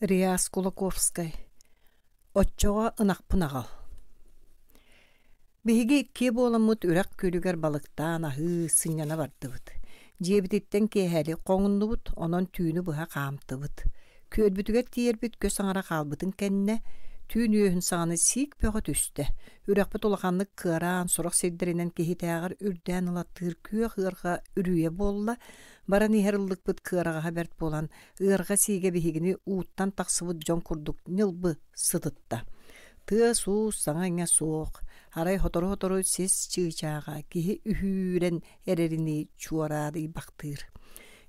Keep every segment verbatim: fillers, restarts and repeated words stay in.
Реас Кулаковскай Оччоҕо ынахпын аҕал Биһиги иккиэ буоламмыт үрэх күөлүгэр балыктаан аһыы, сынньана бардыбыт. Дьиэбититтэн киэһэлик хоҥуннубут, онон түүнү быһа хаамтыбыт. Күөлбүтүгэр тиийэрбит көс аҥара хаалбытын кэннэ, түүн үөһүн саҕана сиик бөҕө түстэ. Үрэхпит улаханнык кыараан, сорох сирдэринэн киһитээҕэр үрдээн ылаттыыр күөх ыарҕа үрүйэ буолла. Баран иһэр ыллыкпыт кыараҕаһа бэрт буолан, ыарҕа сиигэ биһигини ууттан тахсыбыт дьон курдук ньылбы сытытта. Тыас-уус, саҥа-иҥэ суох, арай сотору-сотору сис чыычааҕа киһи үһүүрэн эрэринии чуораадыйбахтыыр.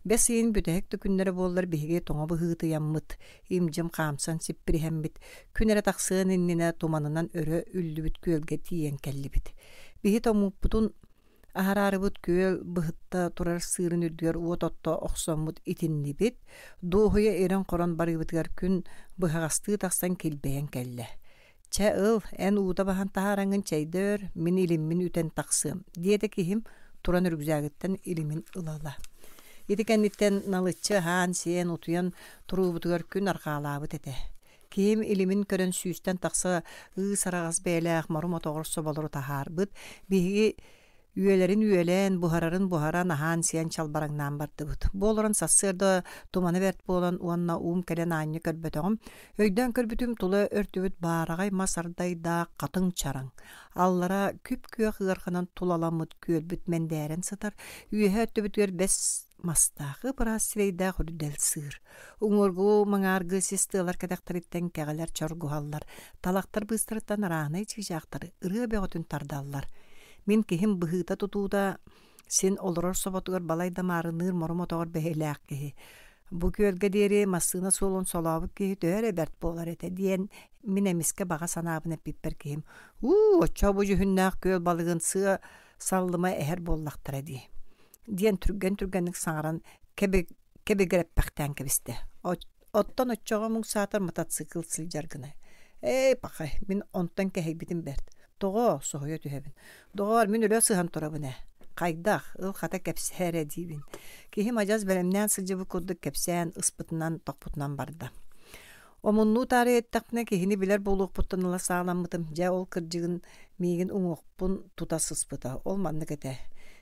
Бэс ыйын бүтэһик да күннэрэ буоллар биһиги тоҥо быһыытыйаммыт, им-дьим хаамсан сиппириһэммит, күн эрэ тахсыан иннинэ туманынан өрө үллүбүт күөлгэ тиийэн кэллибит. Биһи тоҥмуппутун Аһараарыбыт күөл быһытта турар сыырын үрдүгэр уот отто охсоммут итиннибит, дуоһуйа ирэн-хорон барыыбытыгар күн быһаҕастыы тахсан килбэйэн кэллэ. «Чэ ыл, эн уута баһан таһаараҥҥын чэйдэ өр, мин илиммин үтэн тахсыам», диэтэ киһим туран үрүкзээгиттэн илимин ыла-ыла. Ити кэнниттэн налыччы аһаан-сиэн, утуйан туруубутугар күн арҕаалаабыт этэ. Киһим илимин көрөн сүүстэн тахса ыыс араҕас бэйэлээх мору-мотоҕор соболору таһаарбыт, биһиги үөлэрин үөлээн, буһарарын буһаран, аһаан-сиэн чалбараҥнаан бардыбыт. Бу олорон сарсыарда тумана бэрт буолан уонна уум кэлэн аанньа көрбөтөҕүм. Өйдөөн көрбүтүм тула өртүбүт баараҕай мас ардайдаах хатыҥ чараҥ. Аллара күп-күөх ыарханан тулаламмыт күөлбүт мэндээрэн сытар, үөһэ өттүбүтүгэр бэс мастаах ып-ыраас сирэйдээх үрдэл сыыр. Уҥуоргу маҥааргы сис тыалар кэтэхтэриттэн кэҕэлэр чоргуһаллар, талахтар быыстарыттан арааһынай чыычаахтары ырыа бөҕөтүн тардаллар. Мин киһим быһыыта-тутуута син олорор соботугар балай да маарынныыр мору-мотоҕор бэһилээх киһи. Бу күөлгэ диэри массыына суолун солообут киһи төһө эрэ бэрт буолар этэ диэн мин эмискэ баҕа санаабын эппиппэр киһим «Уу, оччо бу дьүһүннээх күөл балыгын сыа саллыма эһэр буоллахтара дии» диэн түргэн-түргэнник саҥаран кэби кэбигирэппэхтээн кэбистэ. Оттон оччоҕо муҥ саатар мотоцикл сылдьар гына. Эй, пахай, мин онтон кэһэйбитим бэрт. Тоҕо? Соһуйа түһэбин. Доҕоор, мин өлө сыһан турабын ээ. Хайдах? Ыл хата кэпсээ эрэ диибин. Киһим адьас бэлэмнээн сылдьыбыт курдук кэпсээн, ыспытынан, тохпутунан барда. Омуннуу таарыйа эттэхпинэ киһини билэр буолуохпуттан ыла сааламмытым. Дьэ, ол кырдьыгын миигин уҥуохпун тута сыспыта. Ол маннык этэ.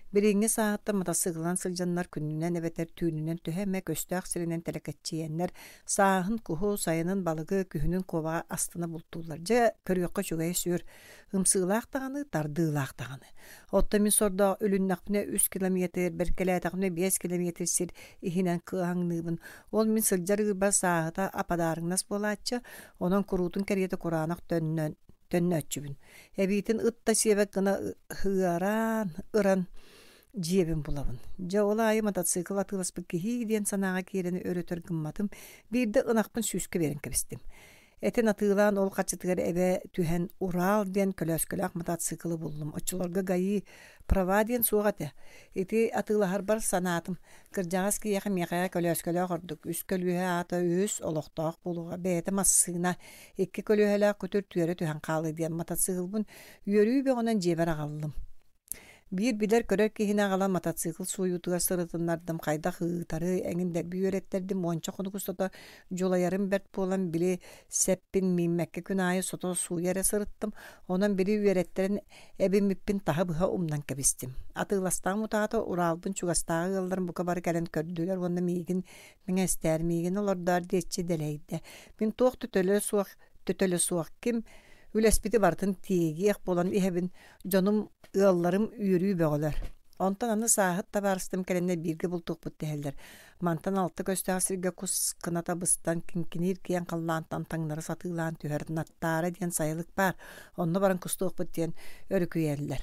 Билиҥҥи сааһыттан матасыыкылынан сылдьаннар күнүнэн эбэтэр түүнүнэн төһө эмэ көстөөх сиринэн тэлэкэччийэннэр сааһын куһу, сайынын балыгы, күһүнүн куобаҕы астына бултууллар. Дьэ, көрүөххэ үчүгэйэ сүр. Ымсыылаах даҕаны, тардыылаах даҕаны. Оттон мин сордоох үлүннэхпинэ үс километр, бэркэлээтэхпинэ биэс километр сир иһинэн кыаһаҥныыбын. Ол мин сылдьар ыырбар сааһыта ападаарыҥнас буолааччы, онон куруутун кэриэтэ кураанах төннөн төннөөччүбүн. Эбиитин ыт да сиэбэт гына ыараан, ыран дьиэбин булабын. Дьэ, ол аайы мотоцикл атыыласпыт киһи диэн санааҕа киирэн өрөтөр гымматым. Биирдэ ынахпын сүүскэ биэрэн кэбистим. Этин атыылаан ол харчытыгар эбэ түһэн Урал диэн көлөөскөлөөх мотоциклы буллум. Оччолорго ГАИ права диэн суох этэ. Ити атыылаһарбар санаатым. Кырдьаҕас киһиэхэ миэхэ көлөөскөлөөх ордук. Үс көлүөһэ аата үс олохтоох буолуоҕа. Бэйэтэ массыына, икки көлүөһэлээх күтүр түөрэ түһэн хаалыы диэн мотоциклбын үөрүү бөҕөнөн дьиэбэр аҕаллым. Биир билэр-көрөр киһини аҕалан мотоцикл сууйуутугар сырытыннардым, хайдах ыытары эҥин дэлби үөрэттэрдим, уонча хонук устата дьулайарым бэрт буолан били сэппин мииммэккэ күн аайы сото сууйа эрэ сырыттым, онон били үөрэттэрэн эбиммиппин таһы-быһа умнан кэбистим. Атыыластаҕым утаата Уралбын чугастааҕы ыалларым бука бары кэлэн көрдүлэр уонна миигин мэҥэстээр, миигин олордоор диэччи дэлэйдэ. Мин туох төтөлө суох төтөлө суох ким үлэспити барытын тиэгиэх буолан иһэбин, дьонум, ыалларым үөрүү бөҕөлөр. Онтон аны сааһыт табаарыстым кэлэннэр бииргэ бултуохпут дэһэллэр. Мантан алта көстөөх сиргэ кус кыната быстан, киҥкиниир киэҥ халлаантан таҥнары сатыылаан түһэр Наттаара диэн сайылык баар, онно баран кустуохпут диэн өрүкүйэллэр.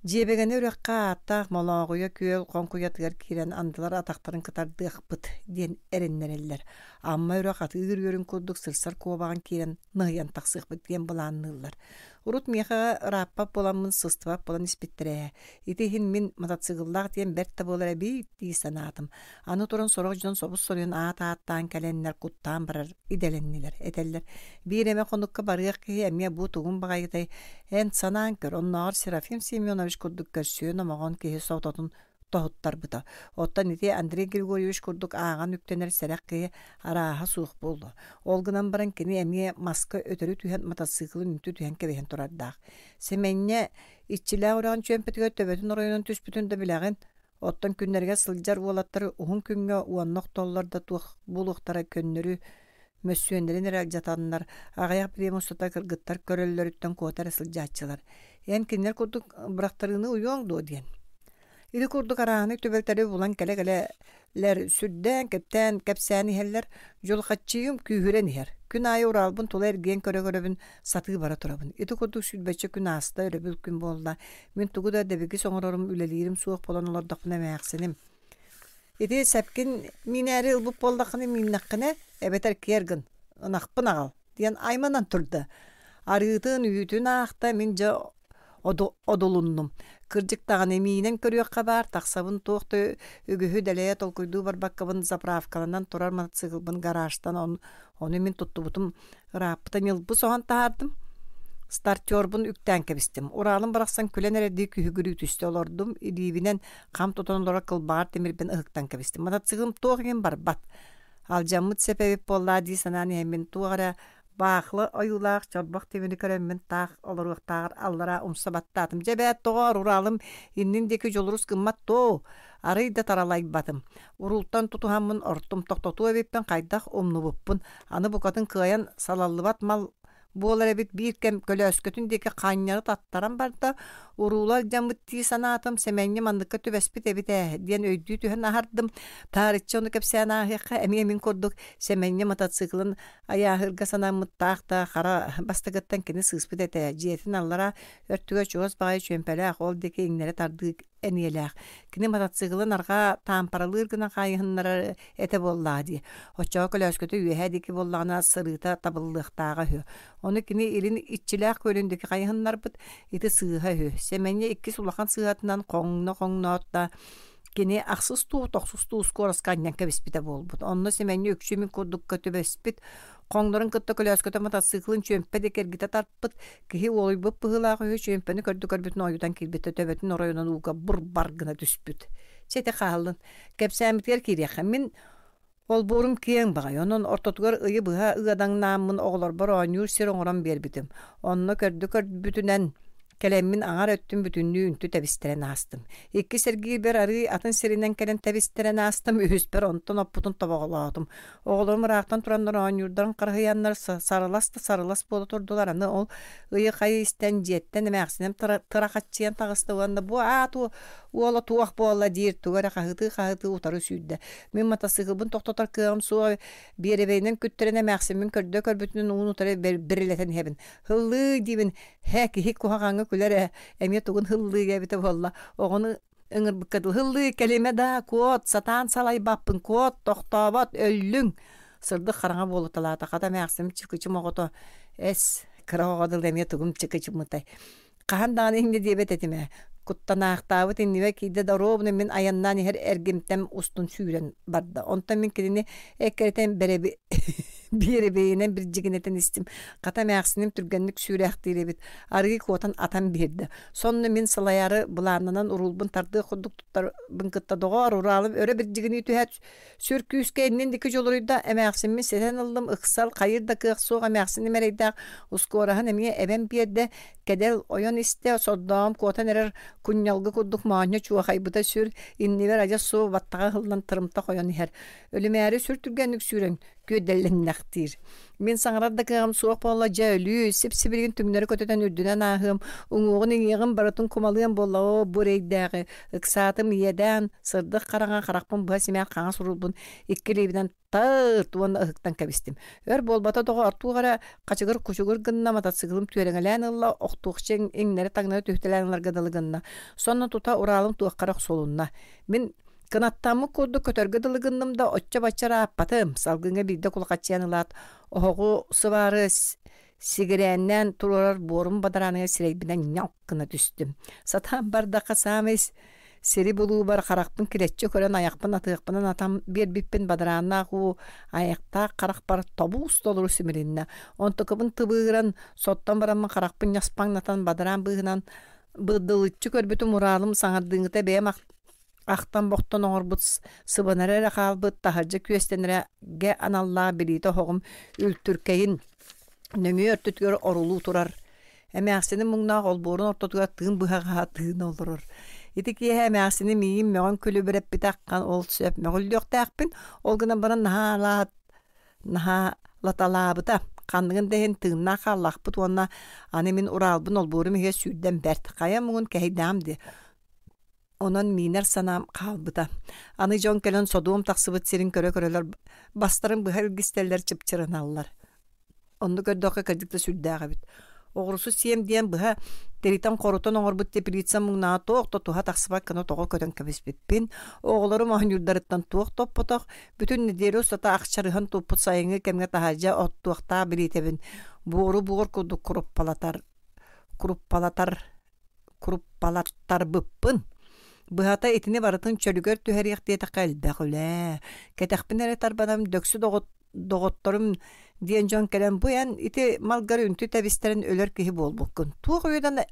Дьиэбэгэни үрэххэ ааттаах Молооҕуйа күөл хоҥкуйатыгар киирэн андылар атахтарын кытардыахпыт диэн эрэннэрэллэр. Амма үрэх атыыр үөрүн курдук сырсар куобаҕын киирэн ныһыйан тахсыахпыт диэн былаанныыллар. Урут миэхэ ырааппат буоламмын сыстыбат буолан испиттэрэ ээ. Ити иһин мин мотоцикллаах диэн бэрт да буолар эбит дии санаатым. Аны туран сорох дьон собус-соруйан аат ааттаан кэлэннэр куттаан барар идэлэннилэр. Этэллэр биир эмэ хонукка барыах киһи эмиэ бу тугун баҕайытай эн санаан көр оннооҕор Серафим Семенович курдук көрсүө номоҕон киһи сототун тоһуттарбыта. Оттон ити Андрей Григорьевич курдук ааҕан үктэнэр сэрэх киһи арааһа суох буолла. Ол гынан баран кини эмиэ маска өтөрү түһэн матасыыкылын үнтү түһэн кэбиһэн турардаах. Сэмэнньэ иччилээх үрэҕин чүөмпэтигэр төбөтүн оройунан түспүтүн да билэҕин. Оттон күннэригэр сылдьар уолаттары уһун күҥҥэ уонна охтоллор да туох буолуохтара көннөрү мөссүөннэрин эрэ алдьатаннар, аҕыйах бириэмэ устата кыргыттар көрөллөрүттэн куота эрэ сылдьааччылар. Эн кинилэр курдук бырахтарыыны уйуоҥ дуо диэн. Ити курдук арааһынай түбэлтэри булан кэлэ-кэлэлэр сүрдээн, кэптээн, кэпсээн иһэллэр, дьулхаччыйым күүһүрэн иһэр. Күн аайы Уралбын тула эргийэн көрө-көрөбүн сатыы бара турабын. Ити курдук сүүрбэччэ күн ааста, өрөбүл күн буолла. Мин тугу да дэбигис оҥорорум, үлэлиирим суох буолан олордохпуна эмээхсиним. Ити сэпкин миинээри ылбыт буоллаххына мииннэххинэ, эбэтэр киэр гын, ынахпын аҕал диэн айманан турда. Арыытын, үүтүн аахта, мин дьэ одулуннум. Кырдьык даҕаны миинэн көрүөххэ баар, тахсабын туох да үгүһү дэлэйэ толкуйдуу барбаккабын заправкаланан турар мотоциклбын гаражтан ону, ону мин туттубутум ырааппыта ньылбы соһон таһаардым. Стартербун үктээн кэбистим. Уралым барахсан күлэн эрэрдии күһүгүрүү түстэ олордум, илиибинэн хам тутан олорор кылбаҕар тимирбин ыһыктан кэбистим. Мотоциклым туох иһин барбат. Алдьаммыт сэп эбит буоллаа дии санаан иһэммин туох эрэ баахлы ойуулаах чорбох тимири көрөммүн таах олоруохтааҕар аллара умса баттаатым. Дьэ бээт тоҕоор Уралым иннин диэки дьулурус гыммат тоо, арый да таралайбатым. Уруултан тутуһаммын ортум тохтотуо эбиппин хайдах умнубуппун. Аны букатын кыайан салаллыбат мал буолар эбит биир кэм көлөөскөтүн диэки хаанньары таттаран барда, уруула алдьаммыт дии санаатым, Сэмэнньэ манныкка түбэспит эбит ээ диэн өйдүү түһэн аһардым. Таарыччы ону кэпсээн ааһыахха эмиэ мин курдук Сэмэнньэ мотоциклын айааһырга санаммыттаах да хара бастакыттан кини сыыспыт этэ. Дьиэтин аллара өртүгэр чугас баҕайы чүөмпэлээх, ол диэки иҥнэри тардыы эниэлээх. Кини мотоциклын арҕаа таампаралыыр гына хаайыһыннарар этэ буоллаа дии. Оччоҕо көлөөскөтө үөһээ диэки буоллаҕына сырыыта табыллыахтааҕа үһү. Ону кини илин иччилээх күөлүн диэки хайыһыннарбыт, ити сыыһа үһү. Сэмэнньэ иккис улахан сыыһатынан хоҥно-хоҥноот да кини ахсыс туу, тохсус туу скороска анньан кэбиспитэ буолбут. Онно Сэмэнньэ үксү мин курдукка түбэспит. Хоҥнорун кытта көлөөскөтө мотоциклын чүөмпэ диэки эргитэ тарпыт. Киһи уолуйбут быһыылаах үһү чүөмпэни көрдө көрбүтүн ойутан киирбитэ төбөтүн оройунан ууга бур-бар гына түспүт. Чэ ити хааллын. Кэпсээммитигэр киириэххэ. Мин олбуорум киэҥ баҕай, онон ортотугар ыйы быһа ыадаҥнааммын оҕолорбор оонньуур сир оҥорон биэрбитим. Онно көрдө көрбүтүнэн кэлэммин аҥар өттүн бүтүннүү үнтү тэбистэрэн аастым. Иккис эргиирбэр арыы атын сиринэн кэлэн тэбистэрэн аастым, үһүспэр онтон оппутун тобоҕолоотум. Оҕолорум ыраахтан тураннар оонньуурдарын харыһыйаннар сарылас да сарылас буола турдулар. Аны ол ыйы хайы истэн дьиэттэн эмээхсиним тырахаччыйан таҕыста уонна бу аат уола туох буолла диир тугу эрэ хаһытыы-хаһытыы утары сүүрдэ. Мин матасыыкылбын тохтотор кыаҕым суох биэрэбэйинэн күттэрэн эмээхсиммин көрдө көрбүтүнэн уун утары бирилэтэн иһэбин. Һыллыы диибин, һэ киһи куһаҕаҥҥа күлэр ээ, эмиэ тугун һыллыы эбитэ буолла. Оҕону ыҥырбыкка дылы һыллыы кэлимэ да, куот, сатаан салайбаппын, куот, тохтообот, өллүҥ. Сырдык хараҥа буолуталаата, хата эмээхсим чыкычым оҕото эс, кыра оҕо дылы эмиэ тугум чыкычыммытай. Хаһан даҕаны инньэ диэбэт этим ээ. Куттанаахтаабыт иннибэ киирдэ да оруобуна мин айаннаан иһэр эргимтэм устун сүүрэн барда. Онтон мин кинини эккирэтэн бэрэби биэрэбэйинэн бирдьигинэтэн истим. Хата эмээхсиним түргэнник сүүрээхтиир эбит. Арыы куотан атан биэрдэ. Сонно мин салайаары былааннанан уруулбун тардыах курдук туттарбын кытта доҕоор Уралым өрө бирдьигинии түһээт сүр күүскэ иннин диэки дьулуруйда. Эмээхсиммин ситэн ыллым, ыксал хайыр да кыах суох эмээхсиним эрэйдээх ускуораһын эмиэ эбэн биэрдэ. Кэдэл ойон истэ, сордоом куотан эрэр кунньалгы курдук моонньо чуохайбыта сүр, иннибэр адьас суо баттаҕа ыһыллан тырымта хойон иһэр. Өлүмээри сүр түргэнник сүүрэн күөдэллэннэхтиир. Мин саҥарар да кыаҕым суох буолла, дьэ өлүү, сип-сибилигин түҥнэри көтүтэн үрдүнэн ааһыам, уҥуоҕун иҥиэҕин барытын кумалыам буолла, оо, бу эрэйдээҕи. Ыксаатым иэдээн, сырдык хараҥа харахпын быһа симээх хаҥас уруулбун икки илиибинэн тыырт уонна ыһыктан кэбистим. Өр буолбата доҕоор, туох эрэ хачыгыр-кучугур гынна, мотоциклым түөрэҥэлээн ылла, охтуохча иҥнэри-таҥнары түһүтэлээн ыларга дылы гынна. Сонно тута Уралым туохха эрэ охсулунна. Мин кынаттаммыт курдук көтөргө дылы гынным да оччо-бачча ырааппатым. Салгыҥҥа биирдэ кулахаччыйан ылаат, оһоҕу сыбаары сигирээннээн туруорар буорум бадарааныгар сирэйбинэн ньалк гына түстүм. Сатаан бардахха саамай сири булуубар харахпын килэччи көрөн айахпын атыахпынан атам биэрбиппин бадарааннаах уу айахтаах харахпар тобуус толору симилиннэ. Онтукабын тыбыыран соттон бараммын харахпын ньаспаҥнатан бадараан быыһынан быдылыччы көрбүтүм Уралым саҥардыыҥыта бэйэм Ахтан-бохтон оҥорбут сыбанара эрэ хаалбыт, таһырдьа күөстэнэргэ аналлаах билиитэ оһоҕум үлтүркэйин нөҥүө өртүтүгэр орулуу турар. Эмээхсиним муҥнаах олбуорун ортотугар тыын быһаҕаһа тыына олорор. Ити киэһэ эмээхсиним миигин мөҕөн күлүбүрэппитэ аххан ол сөп мөҕүллүөхтээхпин, ол гынан баран наһаа наһаа латалаабыта. Ханныгын да иһин тыыннаах хааллахпыт уонна аны мин Уралбын олбуорум иһигэр сүүрдэн бэрт. Хайа муҥун кэһэйдэҕим дии. Онон миинэр санаам хаалбыта. Аны дьон кэлэн содуом тахсыбыт сирин көрө-көрөлөр бастарын быһа илгистэллэр, чыпчырыналлар. Онну көрдөххө кырдьык да сүрдээх эбит. Оҕурсу сиэм диэн быһа тиритэн-хорутан оҥорбут теплица муҥнаҕа туох да туһа тахсыбат гына тоҕо көтөн кэбиспиппин, оҕолорум оонньуурдарыттан туох топпотох, бүтүн нэдиэлэ устата ахчарыһан туппут сайыҥҥы кэмҥэ таһырдьа оттуохтаах билиитэбин буору буор курдук куруппалатар куруппалатар куруппалаттарбыппын. Быһата итини барытын чөлүгэр түһэриэх диэтэххэ элбэх үлэ. Кэтэхпин эрэ тарбанам дөксү доҕот доҕотторум диэн дьон кэлэн бу эн ити малгар үнтү тэбистэрин өлөр киһи буолбуккун. Туох үөдэн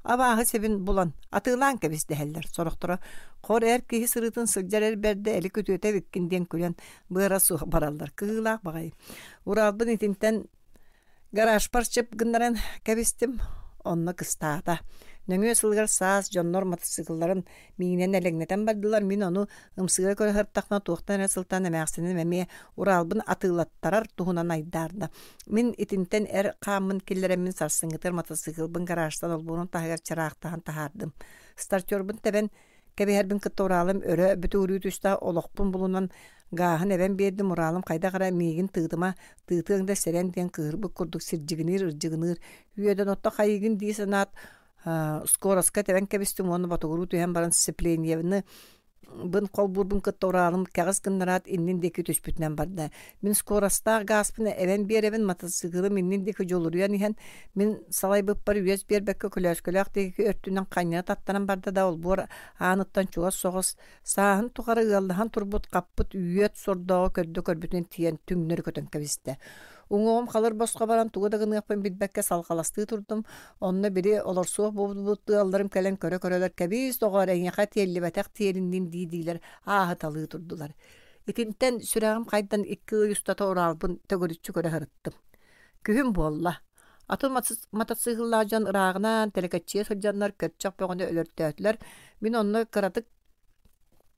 абааһы сэбин булан атыылаан кэбис дэһэллэр. Сорохторо хор эр киһи сырыытын сылдьар эр бэрдэ эли күтүөтэ эбиккин диэн күлэн быара суох бараллар. Кыылаах баҕайы. Уралбын итинтэн гаражпар чып гыннаран кэбистим. Онно кыстаата. Нөҥүө сылыгар саас дьоннор матасыыкылларын миинэн элэҥнэтэн бардылар. Мин ону ымсыыра көрө сырыттахпына туохтан эрэ сылтаан эмээхсиним эмиэ Уралбын атыылаттарар туһунан айдаарда. Мин итинтэн эр хааммын киллэрэммин сарсыҥҥытыгар матасыыкылбын гаражтан олбуорун таһыгар чыраахтаһан таһаардым. Стартербун тэбэн кэбиһэрбин кытта Уралым өрө бүтүгүрүү түстэ, олохпун булунан гааһын эбэн биэрдим. Уралым хайдах эрэ миигин тыытыма, тыытыаҥ да сэрэн диэн кыыһырбыт курдук сирдьигиниир, ырдьыгыныыр. Үөдэн отто хайыгын дии санаат, скороска тэбэн кэбистим уонна ботугуруу түһэн баран сцеплениебыны бын холбуурбун кытта Уралым кэҕис гыннараат иннин диэки түспүтүнэн барда. Мин скоростаах гааспын эбэн биэрэбин, матасыыкылым иннин диэки дьулуруйан иһэн, мин салайбыппар үөс биэрбэккэ көлөөскөлөөх диэки өртүнэн ханньана таттаран барда да олбуор ааныттан чугас соҕус сааһын тухары ыаллаһан турбут хаппыт үөт сордооҕу көрдө көрбүтүнэн тиийэн түҥнэри көтөн кэбистэ. Уҥуоҕум халыр босхо баран тугу да гыныахпын билбэккэ салҕаластыы турдум. Онно били олорсуох буолбут ыалларым кэлэн көрө-көрөлөр кэбиис доҕоор эйиэхэ тиэллибэтэх тиэлиннин дии-диилэр ааһыталыы турдулар. Итинтэн сүрэҕим хайдан икки ый устата Уралбын төгүрүччү көрө сырыттым. Күһүн буолла. Атын матасыыкыллаах дьон ырааҕынан тэлэкэччийэ сылдьаннар көрчөх бөҕөнү өлөртөөтүлэр. Мин онно кыратык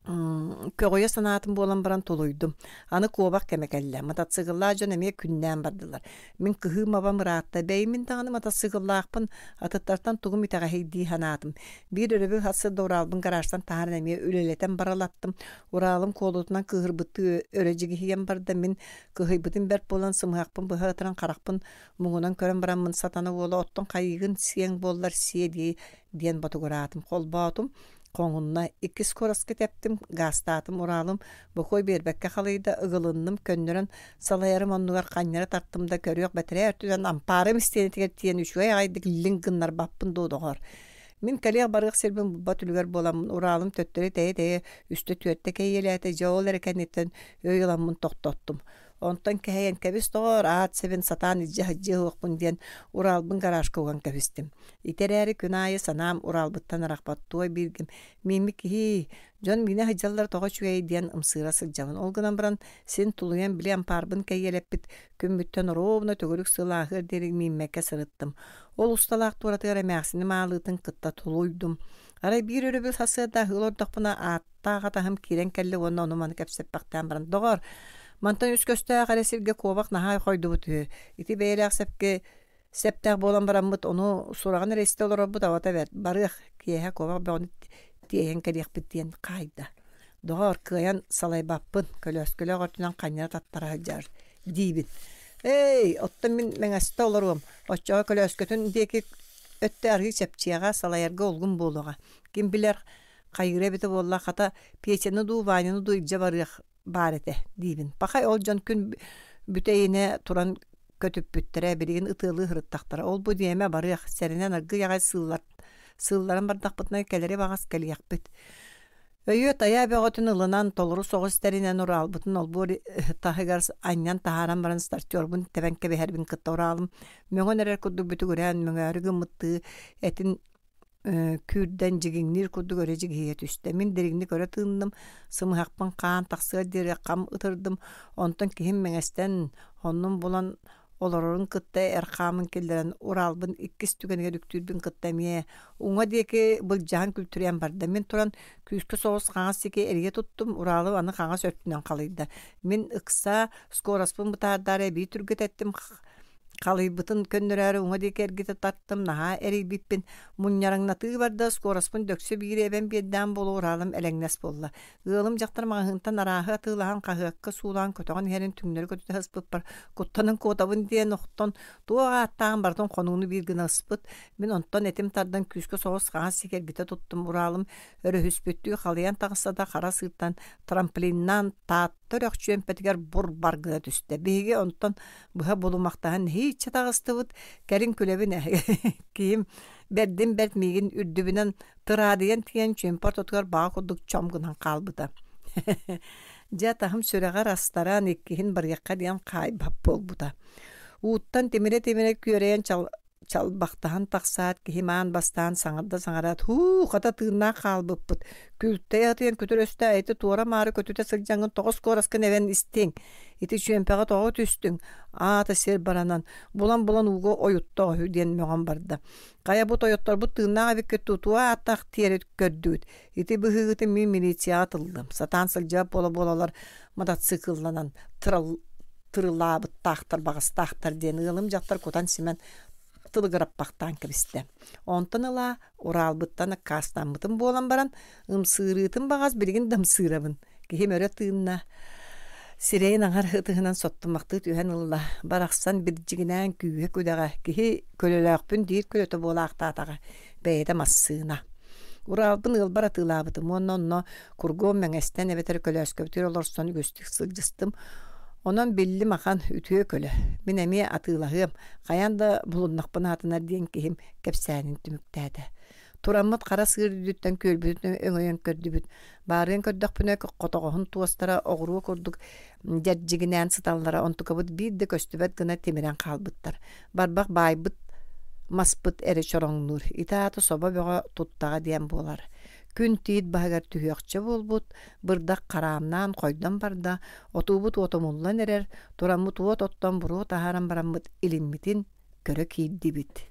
көҕүйэ санаатым буолан баран тулуйдум. Аны куобах кэмэ кэллэ. Матасыыкыллаах дьон эмиэ күннээн бардылар. Мин кыһыым абам ыраатта. Бэйимин даҕаны матасыыкыллаахпын атыттартан тугум итэҕэһий дии санаатым. Биир өрөбүл сарсыарда Уралбын гаражтан таһааран эмиэ үлэлэтэн баралаттым. Уралым куолутунан кыыһырбыттыы өрө дьигиһийэн барда. Мин кыһыйбытым бэрт буолан сымыһахпын быһа ытыран харахпын муҥунан көрөн бараммын сатана уола оттон хайыыгын сиэҥ буоллар сиэ дии диэн ботугураатым. Холбоотум. Хоҥунна иккис куораска тэптим, гаастаатым, Уралым бокуой биэрбэккэ халыйда, ыгылынным, көннөрөн салайарым оннугар ханньара тартым да көрүөх бэтэрээ өртүнэн ампаарым истиэнэтигэр тиийэн үчүгэй аҕайдык лиҥ гыннарбаппын дуо доҕор. Мин кэлиэх барыах сирбин булбат үлүгэр буоламмын Уралым төттөрү тэйэ-тэйэ үстэ-түөртэ кэйиэлээтэ, дьэ ол эрэ кэнниттэн өй ыламмын тохтоттум. Онтон кэһэйэн кэбис доҕоор, аат сэбин сатаан илдьэ сылдьыа суохпун диэн Уралбын гаражка уган кэбистим. Ити эрээри күн аайы санаам Уралбыттан арахпат туой бииргим мииммит киһи, дьон миинэ сылдьаллара тоҕо үчүгэй диэн ымсыыра сылдьабын. Ол гынан баран син тулуйан били ампаарбын кэйиэлэппит күммүттэн оруобуна төгүрүк сыл ааһыар диэри мииммэккэ сырыттым. Ол усталаах туоратыгар эмээхсиним аалыытын кытта тулуйдум. Арай биир өрөбүл сарсыарда аһыы олордохпуна ааттаах атаһым киирэн кэллэ уонна ону-маны кэпсэппэхтээн баран «Доҕор, мантан үс көстөөх эрэ сиргэ куобах наһаа хойдубут үһү. Ити бэйэлээх сэпкэ сэптээх буолан бараммыт ону сураҕын эрэ истэ олорорбут абата бэрт. Барыах, киэһэ куобах бөҕөнү тиэйэн кэлиэхпит» диэн хаайда. «Доҕор, кыайан салайбаппын, көлөөскөлөөх өртүнэн ханньара таттара сылдьар» диибин. «Эй, оттон мин мэҥэстэ олоруом, оччоҕо көлөөскөтүн диэки өттө арыы чэпчиэҕэ, салайарга улгум буолуоҕа. Ким билэр, хайыыра эбитэ буолла, хата Петяны дуу, Ваняны дуу илдьэ барыах баар этэ» диибин. Пахай ол дьон күн бүтэйинэ туран көтүппүттэрэ, билигин ытыалыы сырыттахтара. Ол-бу диэмэ барыах, сэрэнэн аргыый аҕай сыыллар, сыылларан бардахпытына кэлэри баҕас кэлиэхпит. Өйүө-тайаа бөҕөтүн ылынан, толору соҕус тэринэн Уралбытын олбуор таһыгар анньан таһааран баран стартербун тэбэн кэбиһэрбин кытта Уралым мөҥөн эрэр курдук бүтүгүрээн мөҥөөрү гыммыттыы этин Күүрдэн дьигиҥниир курдук өрө дьигиһийэ түстэ. Мин дириҥник өрө тыынным, сымыһахпын хаан тахсыар диэри хам ытырдым. Онтон киһим мэҥэстэн оннун булан олорорун кытта эр хаамын киллэрэн Уралбын иккис түгэнигэр үктүүрбүн кытта эмиэ уҥа диэки былдьаһан күлтүрүйэн барда. Мин туран күүскэ соҕус хаҥас диэки эрийэ туттум, Уралым аны хаҥас өртүнэн халыйда. Мин ыкса скороспун бытаардаары эбии түргэтэттим, халыйбытын көннөрөөрү уҥа диэки эргитэ тартым, наһаа эрийбиппин. Мунньараҥнатыы барда, скороспун дөксө биир эбэн биэрдээн буолуо Уралым элэҥнэс буолла. Ыалым дьахтар маҕаһыынтан арааһы атыылаһан хаһыакка суулаан көтөҕөн иһэрин түҥнэри көтүтэ сыспыппар куттанан куотабын диэн охтон туох ааттааҕын барытын хонууну биир гына ыспыт. Мин онтон этим тардан күүскэ соҕус хаҥас диэки эргитэ туттум. Уралым өрөһүспүттүү халыйан таҕыста да хара сыыртан трамплиннаан Таатта үрэх чүөмпэтигэр бур-бар гына түстэ. Биһиги онтон быһа булумахтаһан нэһииччэ таҕыстыбыт. Кэлин күлэбин ээ. Киһим бэрдин бэрт миигин үрдүбүнэн тыраадыйан тиийэн чүөмпэ ортотугар баҕа курдук чом гынан хаалбыта. Дьэ атаһым сүрэҕэр астаран иккиһин барыахха диэн хаайбат буолбута. Ууттан тимирэ-тимирэ күөрэйэн чал чалбахтаһан тахсаат киһим аан бастаан саҥарда саҥараат һуу хата тыыннаах хаалбыппыт күлтэй атыйан күтүр өстөө ити туора-маары көтүтэ сылдьаҥҥын тоҕус куораскын эбэн истиҥ ити чүөмпэҕэ тоҕо түстүҥ аата сир баранан булан-булан ууга ойутта үһү диэн мөҕөн барда хайа бу тойотторбут тыыннаах эбиккит тутуа ааттаах тиэрэ көрдүгүт ити быһыыгытын мин милицияҕа тыллым сатаан сылдьыбат буола-буолалар мотоциклланан тырал тырылаабыттаахтар баҕастаахтар диэн ыалым дьахтар кутан-симэн тылыгыраппахтаан кэбистэ. Онтон ыла Уралбыттан аккаастаммытым буолан баран, ымсыырыытын баҕас билигин да ымсыырабын. Киһим өрө тыынна, сирэйин аҥар ытыһынан соттумахтыы түһэн ылла. Барахсан бирдьигинээн күүһэ күдэҕэ, киһи көлөлөөхпүн диир көлөтө буолаахтаатаҕа, бэйэтэ массыына. Уралбын ыалбар атыылаабытым уонна онно кургуом мэҥэстэн эбэтэр көлөөскөбүтүгэр олорсон үгүстүк сылдьыстым. Онон биллим ахан үтүө көлө. Мин эмиэ атыылаһыам, хайаан да булуннахпын аатынар диэн киһим кэпсээнин түмүктээтэ. Тураммыт хара сыыр үрдүттэн күөлбүтүн өҥөйөн көрдүбүт. Баарыан көрдөхпүнэ хотоҕоһун туостара оҕуруо курдук дьэрдьигинээн сыталлара, онтукабыт биир да көстүбэт гына тимирэн хаалбыттар. Барбах баайбыт маспыт эрэ чороҥнуур. Ити аата собо бөҕө туттаҕа диэн буолар. Күн тиит баһыгар түһүөхчэ буолбут, бырдах хараамнаан хойдон барда, отуубут уотумуллан эрэр, тураммыт уот оттон буруо таһааран бараммыт илиммитин көрө киирдибит.